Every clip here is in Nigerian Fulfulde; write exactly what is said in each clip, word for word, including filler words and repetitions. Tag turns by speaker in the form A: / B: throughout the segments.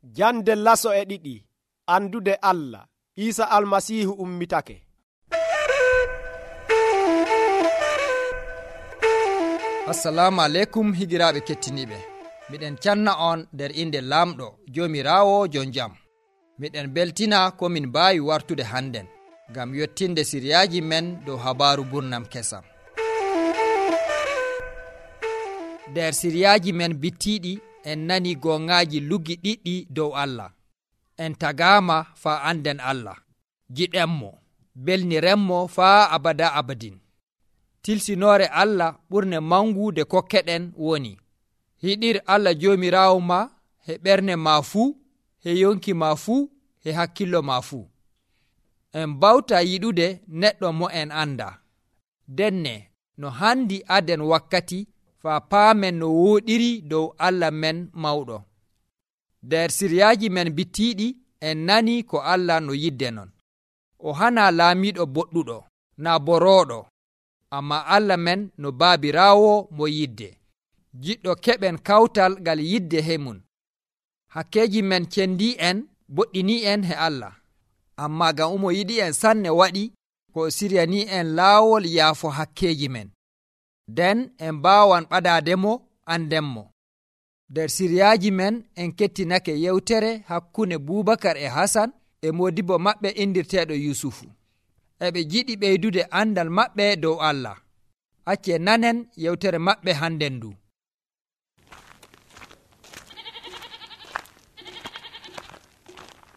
A: Jande laso e ɗiɗi andude Allah. Isa almasihu ummitake.
B: Assalamu aleykum higiraaɓe kettiniɓe. Miɗen canna on nder inde lamɗo jomirawo jon jam. Miɗen beltina ko min mbawi wartude hannden ngam yottinde siryaji men dow habaru burnam kesam. Nder siryaji men bittiɗi en nani gongaji luggi ɗiɗɗi dow Allah. En tagama faa anden Allah, giɗenmo, belnirenmo faa abada abadin. Tilsinore Allah ɓurne mangude kokkeɗen woni: hiɗir Allah jomirawo ma he ɓernde ma fuu, he yonki ma fuu, he hakkillo ma fuu. En bawta yiɗude neɗɗo mo en anda. Denne no handi aden wakkati faa paamen no wooɗiri dow Allah men mawɗo. Nder siryaji men bittiɗi en nani ko Allah no yidde non. O hana laamiɗo boɗɗuɗo, na borooɗo, amma Allah men no baabiraawo mo yidde, jiɗɗo keɓen kawtal ngal yidde he mum. Hakkeji men cendi en, boɗɗini en he Allah, amma ngam omo yiɗi en sanne waɗi ko o siryani en laawol yaafo hakkeji men. Nden en mbaawan ɓadaademo andenmo. Nder siryaji men en kettinake yewtere hakkunde Bubakar e Hasan e modibo maɓɓe indirteeɗo Yusufu. Eɓe jiɗi ɓeydude andal maɓɓe dow Allah. Acce nanen yewtere maɓɓe hannden ndu.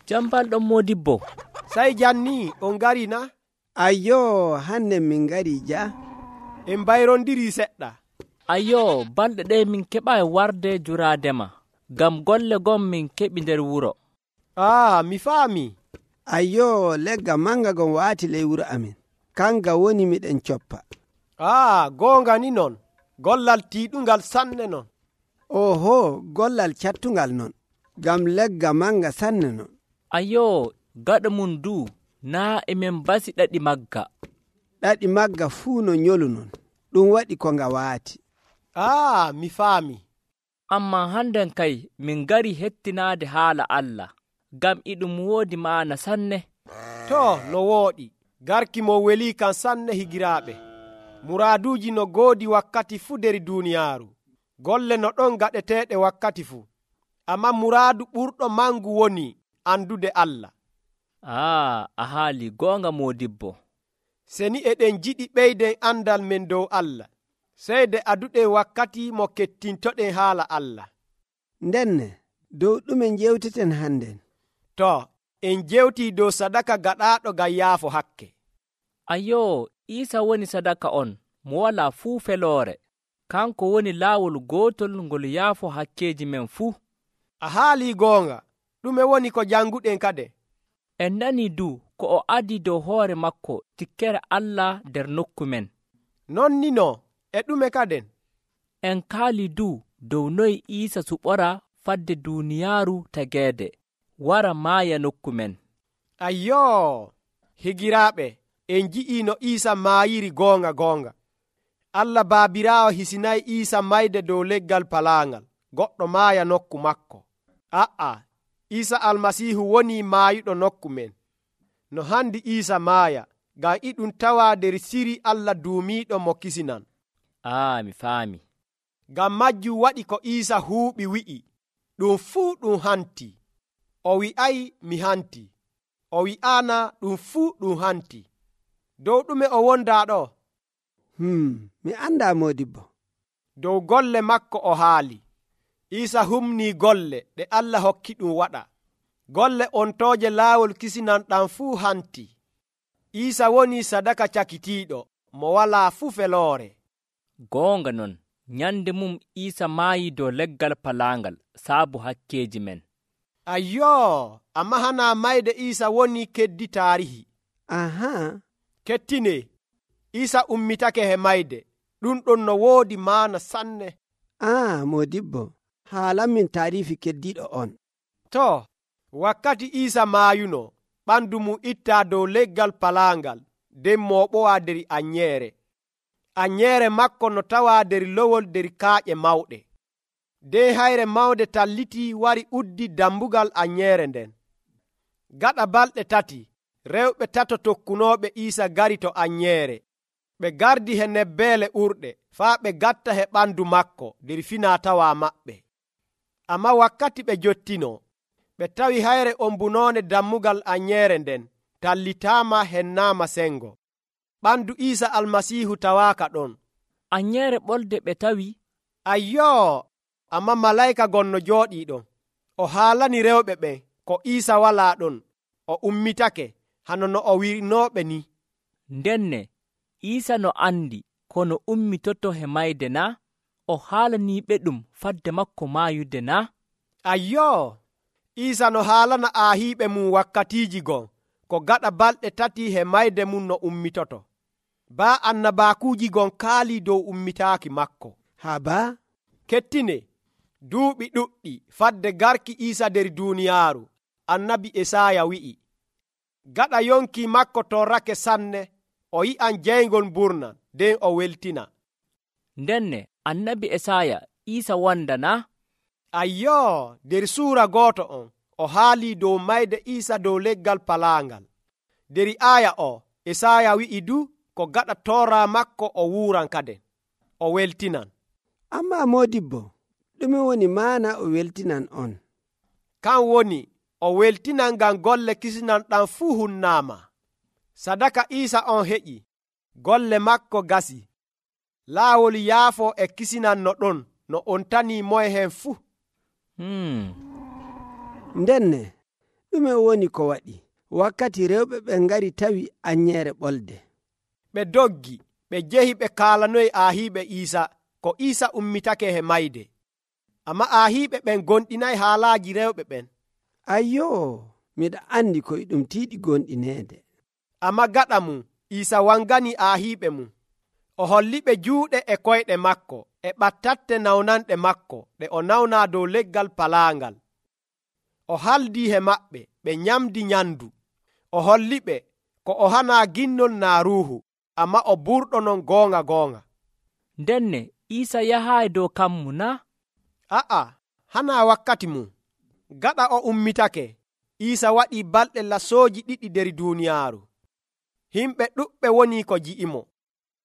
C: Jambalɗo modibbo,
A: Sai janni on gari na?
D: Ayyo, hande min ngari ja.
A: En bayrondiri seɗɗa.
C: ayyo balɗe ɗe min keɓai warde juradema, gam golle gon min keɓi nder wuro.
A: Ah, mi faami.
D: Ayyo, legga manga gon waati ley wuro amin, kanga woni miɗen coppa.
A: Ah, goonga ni non. Gollal tiiɗungal sanne non.
D: Oho, gollal cattungal non, gam legga manga sanne non.
C: ayyo gaɗa mum du naa emen basi ɗaɗi magga.
D: Ɗaɗi magga fuu no nyolu non, ɗum waɗi ko nga waati.
A: Ah, mi faami.
C: Amma hannden kay min gari hettinaade haala Allah, gam iɗum woodi maana sanne.
A: To, no wooɗi. Garki mo weli kan sanne higiraaɓe. Muraaduji no goodi wakkati fuu nder duuniyaaru. Golle no ɗon gaɗeteeɗe wakkati fuu. Amma muraadu ɓurɗo mangu woni andude Allah.
C: Ah, a haali goonga modibbo.
A: Seni eɗen jiɗi ɓeyden andal men dow Allah, seyde aduɗen wakkati mo kettintoɗen haala Allah.
D: Ndenne, dow ɗume jewteten hannden?
A: To, en jewtii dow sadaka gaɗaaɗo ngam yaafo hakke.
C: ayyo Iisa woni sadaka on mo walaa fuu feloore. Kanko woni laawol gootol ngol yaafo hakkeji men fuu.
A: A haalii goonga. Ɗume woni ko janguɗen kade?
C: En nani du ko o adi dow hoore makko tikkere Allah nder nokku men.
A: Non ni no, e ɗume kaden?
C: En kaali du dow noy Iisa suɓora fadde duuniyaaru tageede, wara maaya nokku men.
A: Ayyo, higiraaɓe, en ji'ii no Iisa maayiri goonga goonga. Allah baabiraawo hisinayi Iisa mayde dow leggal palaangal, goɗɗo maaya nokku makko. A'a, Iisa almasihu woni maayuɗo nokku men. No handi Iisa maaya, ngam iɗum tawa nder siri Allah duumiiɗo mo kisinan.
C: Ah, mi faami.
A: Ngam majjum waɗi ko Iisa huuɓi wi'i, ɗum fuu ɗum hanti. O wi'ay mi hanti. O wi'aana ɗum fuu ɗum hanti. Dow ɗume o wondaa ɗo?
D: Hmm, mi anda modibbo.
A: Dow golle makko o haali. Iisa humnii golle ɗe Allah hokki ɗum waɗa. Golle ontooje laawol kisinan ɗam fuu hanti. Iisa woni sadaka cakitiiɗo mo walaa fuu feloore.
C: Goonga non, nyande mum Iisa maayi dow leggal palaangal saabu hakkeji men.
A: Ayyoo, amma hana mayde Iisa woni keddi taarihi.
D: Aha.
A: Kettine, Iisa ummitake he mayde. Ɗum ɗon no woodi maana sanne.
D: Ah, modibbo, haalamin taarifi keddiɗo on.
A: To, wakkati Iisa maayuno, ɓandu mum ittaa dow leggal palaangal, nden mooɓowa der anyeere. Anyeere makko no tawaa der lowol der kaaƴe mawɗe. nden hayre mawnde talliti wari uddi dambugal anyeere nden. Gaɗa balɗe tati rewɓe tato tokkunooɓe Iisa gari to anyeere. Ɓe gardi he nebbeele urɗe faa ɓe gatta he ɓandu makko nder finaa-tawaa maɓɓe. Amma wakkati ɓe jottinoo, ɓe tawi hayre ombunoonde dammugal anyeere nden tallitaama hennaama sengo. Ɓandu Iisa Almasiihu tawaaka ɗon.
C: Anyeere ɓolde ɓe tawi.
A: Ayyoo, amma malayka gonno jooɗii ɗon. O haalani rewɓe ɓen ko Iisa walaa ɗon. O ummitake hano no o wi'inooɓe ni.
C: Ndenne Iisa no andi kono ummitoto he mayde na? O haalaniiɓe ɗum fadde makko maayude na?
A: Ayyoo, Iisa no haalana aahiiɓe mum wakkatiiji gon ko gaɗa balɗe tati he mayde mum no ummitoto. Baa annabaakuuji gon kaalii dow ummitaaki makko.
D: Haa baa
A: kettine duuɓi ɗuɗɗi fadde garki Iisa nder duuniyaaru, annabi Esaaya wi'i, gaɗa yonki makko torrake sanne, o yi'an jeyngol mburnan, nden o weltina.
C: Ndenne annabi Esaaya Iisa wanda na?
A: Ayyoo, nder suura gooto on o haalii dow mayde Iisa dow leggal palaangal. Nder aaya o Esaaya wi'i du ko gaɗa toora makko o wuuran kaden, o weltinan.
D: Amma moodibbo, ɗume woni maana o weltinan on?
A: Kan woni o weltinan ngam golle kisinan ɗan fuu hunnaama. Sadaka Iisa on heƴi, golle makko gasi. Laawol yaafo e kisinan no ɗon no on tanii moye hen fuu.
C: Hmm.
D: Ndenne, ɗume woni ko waɗi wakkati rewɓe ɓe ngari tawi anyeere ɓolde?
A: Ɓe doggi, ɓe jehi ɓe kaalanoyi aahiiɓe Iisa ko Iisa ummitake he mayde. Amma aahiiɓe ɓen gonɗinayi haalaaji rewɓe ɓen.
D: Ayyoo, miɗa andi koye ɗum tiiɗi gonɗineede.
A: Amma gaɗa mum Iisa wangani aahiiɓe mum. O holliɓe juuɗe e koyɗe makko e ɓattatte nawnanɗe makko ɗe o nawnaa dow leggal palaangal. O haldii he maɓɓe, ɓe nyamdi nyandu. O holliɓe ko o hanaa ginnol naa ruuhu, amma o burɗo non goonga goonga.
C: Ndenne Iisa yahaayi dow kammu na?
A: A'a, hanaa wakkati mum. Gaɗa o ummitake, Iisa waɗii balɗe lasooji ɗiɗi nder duuniyaaru. Himɓe ɗuɓɓe woni ko ji'imo.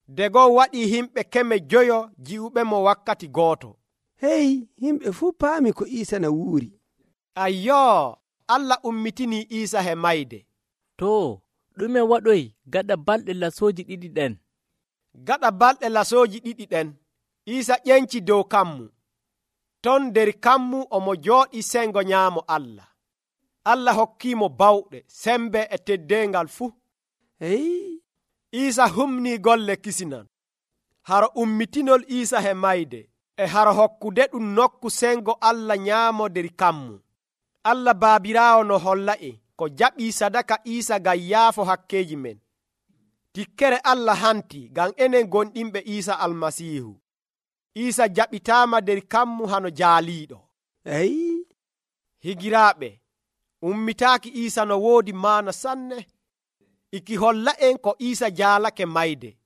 A: Dego waɗii himɓe keme joyo ji'uɓemo wakkati gooto.
D: Hey, himɓe fuu paami ko Iisa na wuuri.
A: Ayyoo, Allah ummitinii Iisa he mayde.
C: To, ɗume waɗoyi gaɗa balɗe lasooji ɗiɗi ɗen?
A: Gaɗa balɗe lasooji ɗiɗi ɗen, Iisa ƴenci dow kammu. Ton nder kammu omo jooɗi sengo nyaamo Allah. Allah hokkiimo bawɗe, sembe e teddeengal fuu.
D: Hey,
A: Iisa humnii golle kisinan. Haro ummitinol Iisa he mayde e haro hokkude ɗum nokku sengo Allah nyaamo nder kammu. Allah Baabiraawo no holla'e ko jaɓii sadaka Iisa ngam yaafo hakkeeji men. Tikkere Allah hanti ngam enen gonɗinɓe Iisa Almasiihu. Iisa jaɓitaama nder kammu hano jaaliiɗo.
D: hey,
A: Higiraaɓe, ummitaaki Iisa no woodi maana sanne. Iki holla'en ko Iisa jaalake mayde.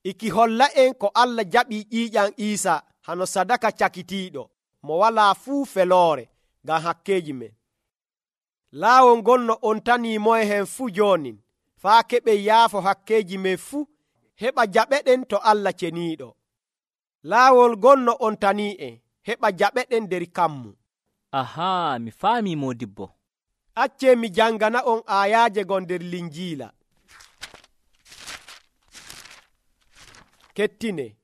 A: Iki holla'en ko Allah jaɓii ƴiiƴam Iisa hano sadaka cakitiiɗo mo walaa fuu feloore ngam hakkeeji men. Laawol ngol no on tanii moye hen fuu joonin, faa keɓen yaafo hakkeeji men fuu, heɓa jaɓeɗen to Allah ceniiɗo. Laawol ngol no on tanii'en, heɓa jaɓeɗen nder kammu.
C: Ahaa, mi faamii moodibbo.
A: Accee mi jangana on aayaaje gon nder Linjiila. Kettine,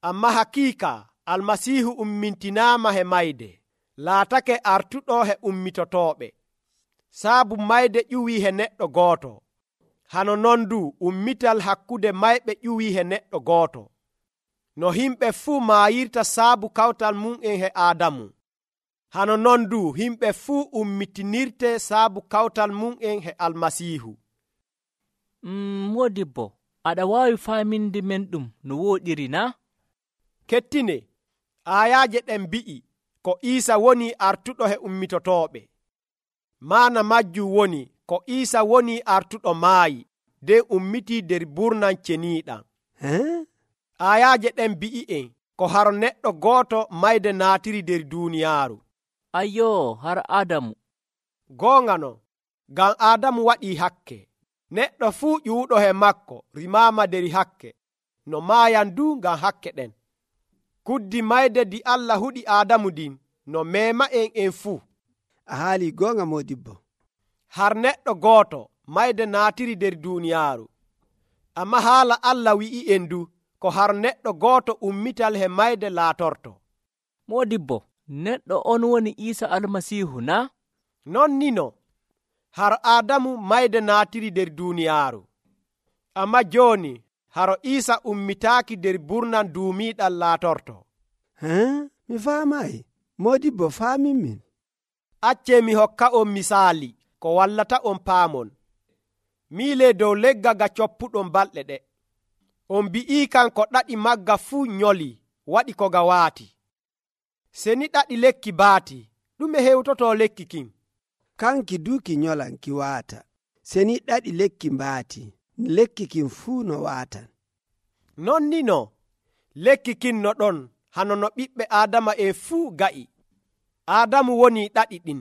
A: amma hakiika Almasiihu ummintinaama he mayde, laatake artuɗo he ummitotooɓe. Saabu mayde ƴuwii he neɗɗo gooto. Hano non du ummital hakkude mayɓe ƴuwii he neɗɗo gooto. No himɓe fuu maayirta saabu kawtal mum'en he Aadamu. Hano non du himɓe fuu ummitinirte saabu kawtal mum'en he Almasiihu.
C: Mm, modibbo, aɗa waawi faaminde men ɗum no wooɗiri na?
A: Kettine, aayaaje ɗen mbi'i ko Iisa woni artuɗo he ummitotooɓe. Maana majjum woni ko Iisa woni artuɗo maayi, nden ummitii nder burnan ceniiɗam.
D: Huh?
A: Aayaaje ɗen mbi'i'en ko har neɗɗo gooto mayde naatiri nder duuniyaaru.
C: Ayyoo, har Aadamu.
A: Goonga non, ngam Aadamu waɗii hakke. Neɗɗo fuu ƴuuɗo he makko rimaama nder hakke, no maayan du ngam hakke ɗen. Kuddi mayde di Allah huɗi Aadamu din no meema en en fuu.
D: A haali goonga Moodibbo.
A: Har neɗɗo gooto mayde naatiri nder duuniyaaru. Amma haala Allah wi'i en du ko har neɗɗo gooto ummital he mayde laatorto.
C: Moodibbo, neɗɗo on woni Iisa Almasiihu na?
A: Non ni no, har Aadamu mayde naatiri nder duuniyaaru. Amma jooni haro Iisa ummitaaki nder burnan duumiiɗal laatorto.
D: Haa, mi faamaayi. Moodibbo faamin min.
A: Accee mi hokka on misaali ko wallata on paamon. Miilee dow legga ga coppuɗon balɗe ɗe. On bi'ii kan ko ɗaɗi magga fuu nyoli waɗi ko ga waati. Seni ɗaɗi lekki baati, ɗume hewtoto lekki kin?
D: Kanki duuki nyolan ki waata. Seni ɗaɗi lekki mbaati, lekki kin fuu no waatan.
A: Non ni no, lekki kin no ɗon hano no ɓiɓɓe Aadama en fuu ga'i. Aadamu woni ɗaɗi ɗin.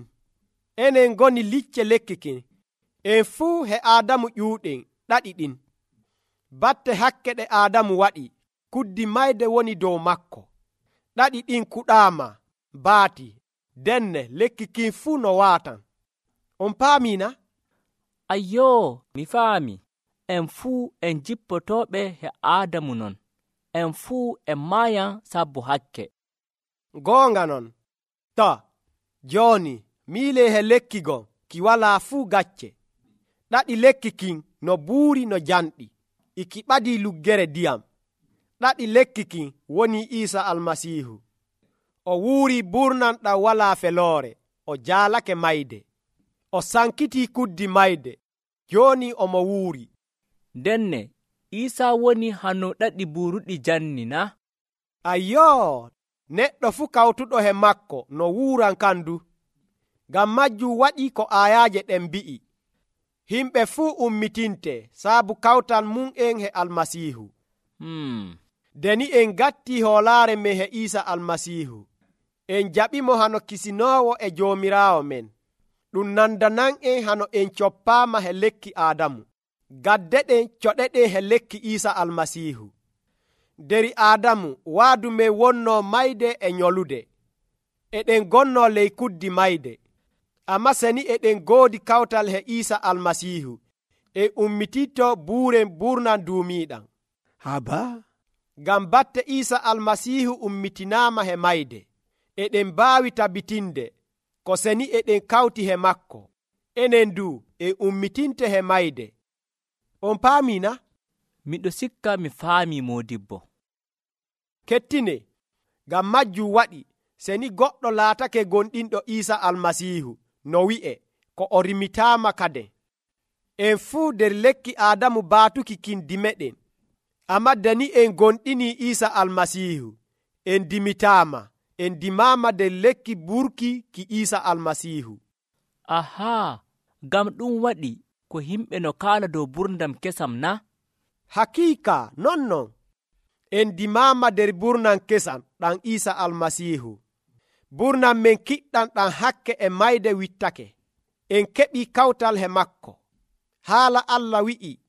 A: Enen ngoni licce lekki kin. En fuu he Aadamu ƴuuɗen ɗaɗi ɗin. Batte hakke ɗe Aadamu waɗi, kuddi mayde woni dow makko. Ɗaɗi ɗin kuɗaama, baati, denne lekki kin fuu no waatan. On paamina?
C: Ayyoo, mi faami. En fuu en jippotooɓe he Aadamu non. En fuu en maayan sabbu hakke.
A: Goonga non. To, jooni miilee he lekki gon ki walaa fuu gacce. Ɗaɗi lekki kin no buuri no janɗi, iki ɓadii luggere diyam. Ɗaɗi lekki kin woni Iisa Almasiihu. O wuurii burnan ɗam walaa feloore, o jaalake mayde. O sankitii kuddi mayde, jooni omo wuuri.
C: Denne, Iisa woni hano ɗaɗi buuruɗi janni na?
A: Ayyoo, neɗɗo fuu kawtuɗo he makko no wuuran kandu. Ngam majjum waɗi ko aayaaje ɗen mbi'i. Himɓe fuu ummitinte saabu kawtal mum en he Almasiihu.
C: Hmm.
A: Deni en gatti hoolaare men he Iisa Almasiihu. En jaɓimo hano kisinoowo e Joomiraawo men. Ɗum nandanan en hano en coppaama he lekki Aadamu. Gadde ɗen coɗeɗen he lekki Iisa Almasiihu. Deri Aadamu waadu men wonnoo mayde e nyolude. Eɗen gonnoo ley kuddi mayde. Amma seni eɗen goodi kawtal he Iisa Almasiihu. E ummititto buuren burnan duumiiɗam.
D: Haba?
A: Ngam batte Iisa Almasiihu ummitinaama he mayde. Eɗen mbaawi tabitinde ko seni eɗen kawti he makko. Enen du en ummitinte he mayde. On paamina?
C: Miɗo sikka mi faami Moodibbo.
A: Kettine, ngam majjum waɗi seni goɗɗo laatake gonɗinɗo Iisa Almasiihu no wi'e ko o rimitaama kade. En fuu nder lekki Aadamu baatuki kindi meɗen. Amma dani en gonɗini Iisa Almasiihu, en dimitaama, en dimaama nder lekki burki ki Iisa Almasiihu.
C: Ahaa, ngam ɗum waɗi ko himɓe no kaala dow burndam kesam na?
A: Hakiika non non. En dimaama nder burnan kesam ɗan Iisa Almasiihu. Burnan men kiɗɗan ɗan hakke e mayde wittake. En keɓi kawtal he makko. Haala Allah wi'i,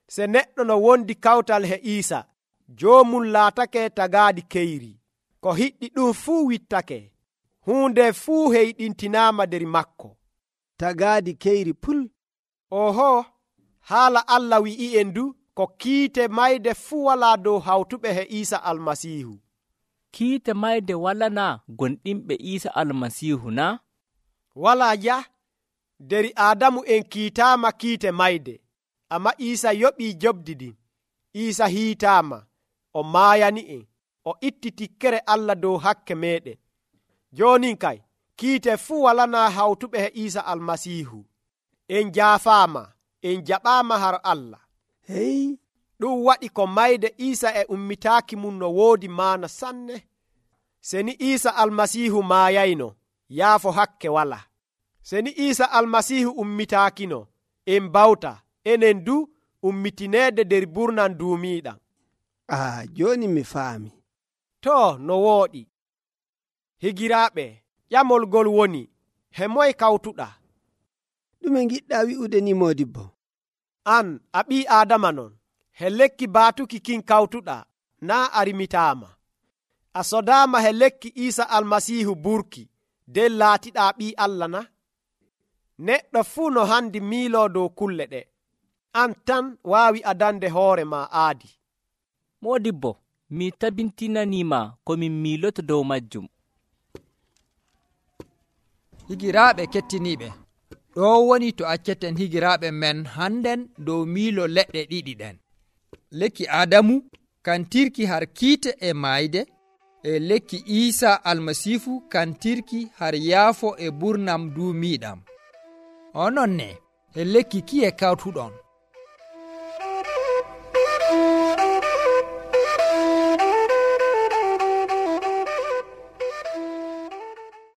A: se neɗɗo no wondi kawtal he Iisa, joomum laatake tagaadi keyri. Ko hiɗɗi ɗum fuu wittake. Huunde fuu heyɗintinaama nder makko.
D: Tagaadi keyri pul.
A: Oho, haala Allah wi'i en du ko kiite mayde fuu walaa dow hawtuɓe he Iisa Almasiihu.
C: Kiite mayde walana gonɗinɓe Iisa Almasiihu na?
A: Walaa ja, deri Aadamu en kiitaama kiite mayde, amma Iisa yoɓii jobdi ɗin. Iisa hiitaama, o maayani en, o itti tikkere Allah dow hakke meɗen. Joonin kay, kiite fuu walanaa hawtuɓe he Iisa Almasiihu. En jaafaama, en jaɓaama har Allah.
D: Hey,
A: ɗum waɗi ko mayde Iisa e ummitaaki mum no woodi maana sanne. Seni Iisa Almasiihu maayayno, yaafo hakke wala. Seni Iisa Almasiihu ummitaakino, en bawta enen du ummitineede nder burnan duumiiɗam.
D: Ah, jooni mi faami.
A: to no wooɗi. Higiraaɓe, ƴamol ngol woni, he moye kawtuɗa?
D: ɗume giɗɗa wi'ude ni modibbo?
A: An a ɓii Aadama non, he lekki baatuki kin kawtuɗa, naa a rimitaama. A sodaama he lekki Iisa Almasiihu burki, nden laatiɗaa ɓii Allah na? Neɗɗo fuu no handi miiloo dow kulle ɗe. An tan waawi adande hoore ma aadi.
C: Moodibbo, mi tabintinaniima ko min miiloto dow majjum.
B: Higiraaɓe kettiniiɓe, ɗo woni to acceten higiraaɓe men hannden dow miilo leɗɗe ɗiɗi ɗen. Lekki Aadamu kantirki har kiite e maayde, e lekki Iisa Almasiifu kantirki har yaafo e burnam duumiiɗam. Onon ne, e lekki kiye kawtuɗon?